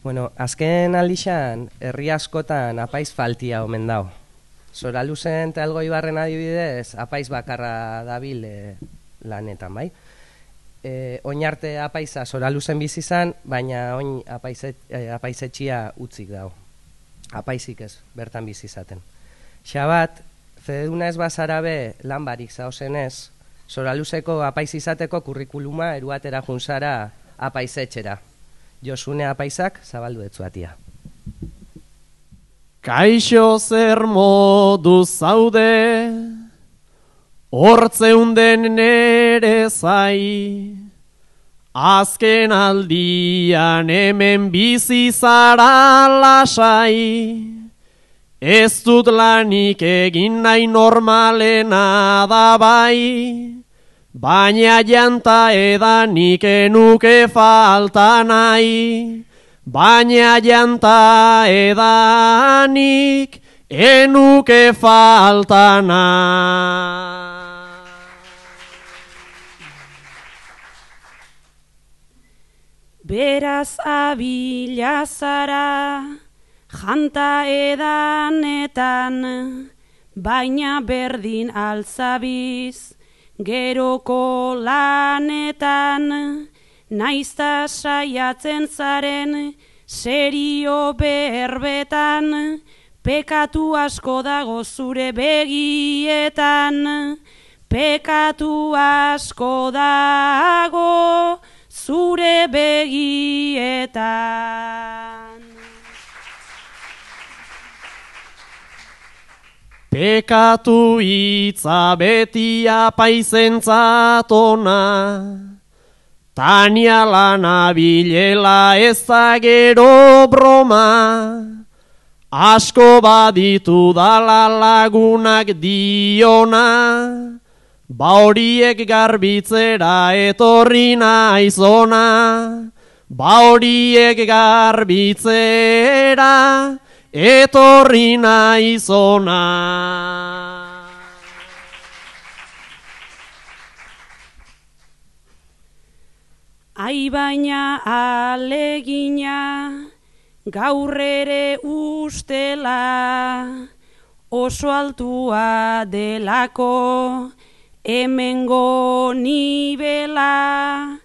Bueno, azken aldixan, herri askotan apaiz faltia omen dau. Soraluzen eta Algoibarren adibidez, apaiz bakarra dabil lanetan, bai? Oinarte apaiza Soraluzen bizi izan, baina oin apaizetxia utzik dau. Apaizik ez, bertan bizi izaten. Xabat, fededuna ez bazara be lan barik zaozenez, Soraluzeko apaiz izateko kurrikuluma eruatera junzara apaizetxera. Josune apaizak zabaldu etzuatia. Kaixo zer modu zaude, hortzeunden nere zai, azken aldian hemen bizi zara lasai, ez dut lanik egin nahi normalena da bai, baina janta edanik enuke falta nahi, baina janta edanik enuke falta nahi. Beraz abila zara, janta edanetan, baina berdin altzabiz, geroko lanetan, naizta saiatzen zaren, serio berbetan, pekatu asko dago zure begietan, pekatu asko dago zure begietan. Pekatu hitza beti apaizentzat ona, Tania lana bilela ez da gero broma, asko baditu dala lagunak diona, ba horiek garbitzera etorri naizona, ba horiek garbitzera etorri naizona. Ai baina alegina gaur ere ustela, oso altua delako hemengo nibela,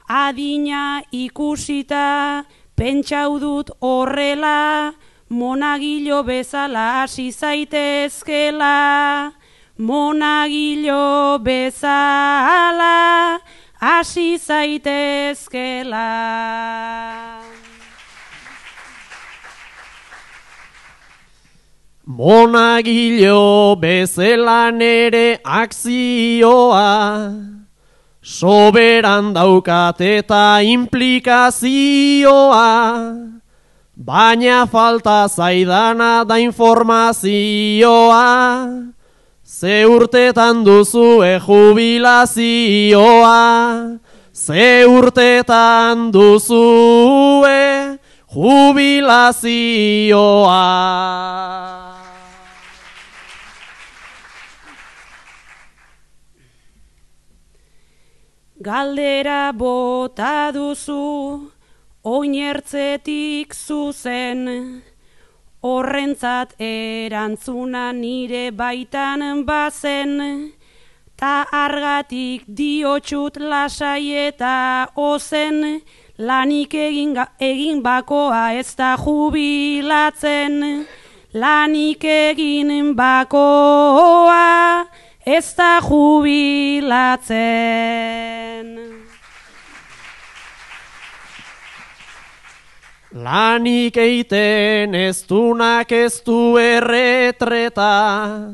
adina ikusita pentsau dut horrela, monagilo bezala hasi zaitezkela, monagilo bezala hasi zaitezkela. Monagilo bezala nere akzioa, soberan daukat eta implikazioa, baina falta zaidana da informazioa, ze urtetan duzue jubilazioa, ze urtetan duzue jubilazioa. Galdera bota duzu, oinertzetik zuzen, horrentzat erantzuna nire baitan bazen, ta argatik diotxut lasai eta ozen, lanik egin bakoa ez da jubilatzen, lanik egin bakoa ez da jubilatzen. Lanik eiten ez dunak ez du erretreta,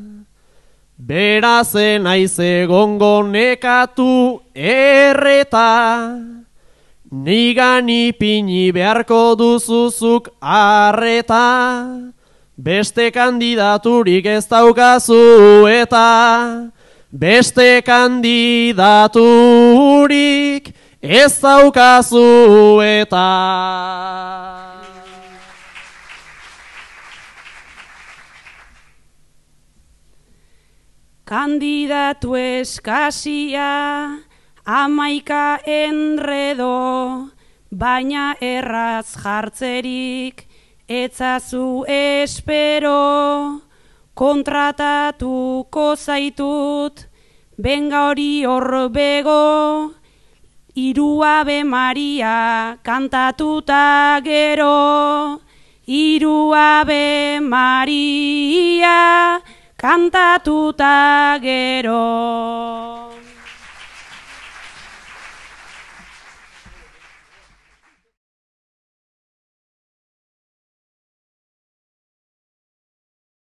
berazen aiz egongo nekatu erreta, nigan ipini beharko duzuzuk arreta, beste kandidaturik ez daukazu eta, beste kandidaturik ez daukazu eta. Kandidatu eskasia, 11 enredo, baina erraz jartzerik etzazu espero, kontratatuko zaitut, benga hori hor bego, Hiru Ave Maria kantatuta gero, Hiru Ave Maria kantatuta gero.